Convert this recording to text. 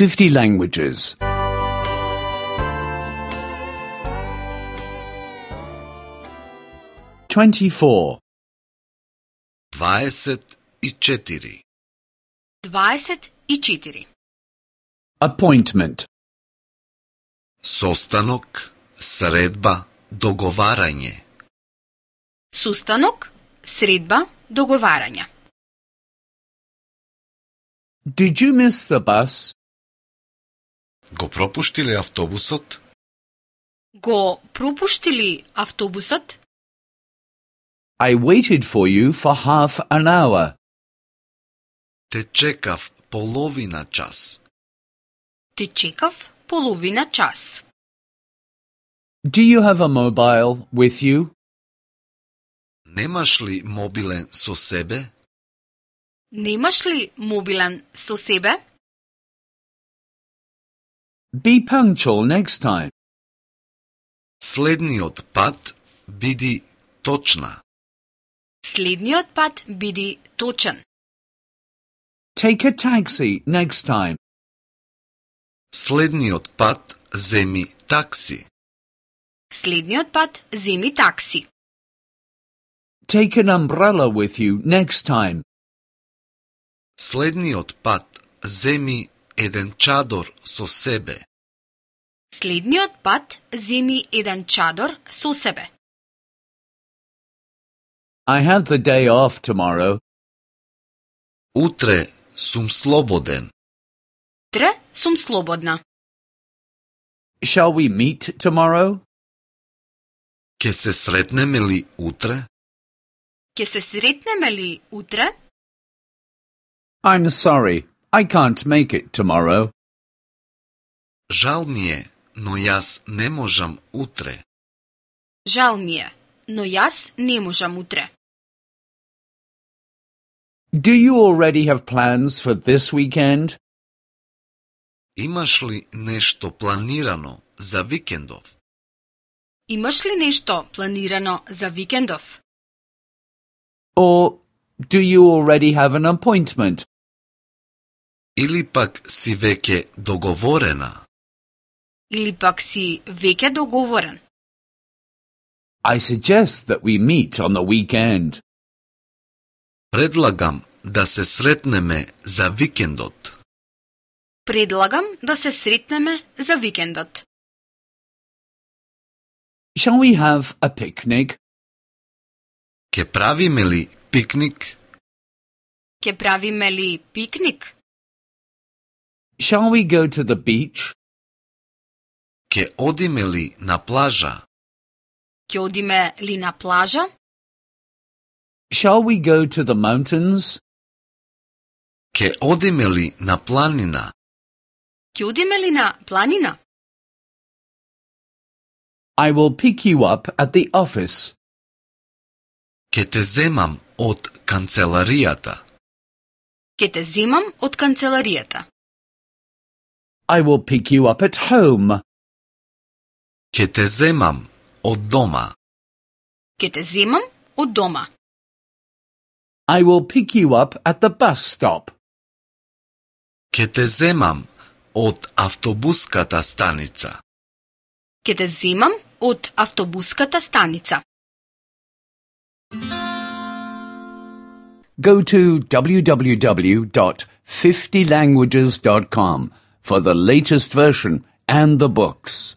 50 languages. 24. 24. 24. Appointment. Состанок, средба, договарање. Сустанок, средба, договарање. Did you miss the bus? Го пропуштиле автобусот? Го пропуштили автобусот? I waited for you for half an hour. Те чекав половина час. Те чекав половина час. Do you have a mobile with you? Немаш ли мобилен со себе? Немаш ли мобилен со себе? Be punctual next time. Следниот пат биди точна. Следниот пат биди точен. Take a taxi next time. Следниот пат земи такси. Следниот пат земи такси. Take an umbrella with you next time. Следниот пат земи еден чадор со себе. Следниот пат земи еден чадор со себе. I have the day off tomorrow. Утре сум слободен. Утре сум слободна. Shall we meet tomorrow? Ке се сретнеме ли утре? Ке се сретнеме ли утре? I'm sorry, I can't make it tomorrow. Жал ми е, но јас не можам утре. Жал ми е, но јас не можам утре. Do you already have plans for this weekend? Имаш ли нешто планирано за викендов? Имаш ли нешто планирано за викендов? Or do you already have an appointment? Или пак си веќе договорена? Или пак си веќе договорен? I suggest that we meet on the weekend. Предлагам да се сретнеме за викендот. Предлагам да се сретнеме за викендот. Shall we have a picnic? Ке правиме ли пикник? Ке правиме ли пикник? Shall we go to the beach? Ке одиме ли на плажа? Ке одиме ли на плажа? Shall we go to the mountains? Ке одиме ли на планина? Ке одиме ли на планина? I will pick you up at the office. Ке те земам од канцеларијата. Ке те земам од канцеларијата. I will pick you up at home. Ке те земам од дома. Ке те земам од дома. I will pick you up at the bus stop. Ке те земам од автобуската станица. Ке те земам од автобуската станица. Go to www.50languages.com for the latest version and the books.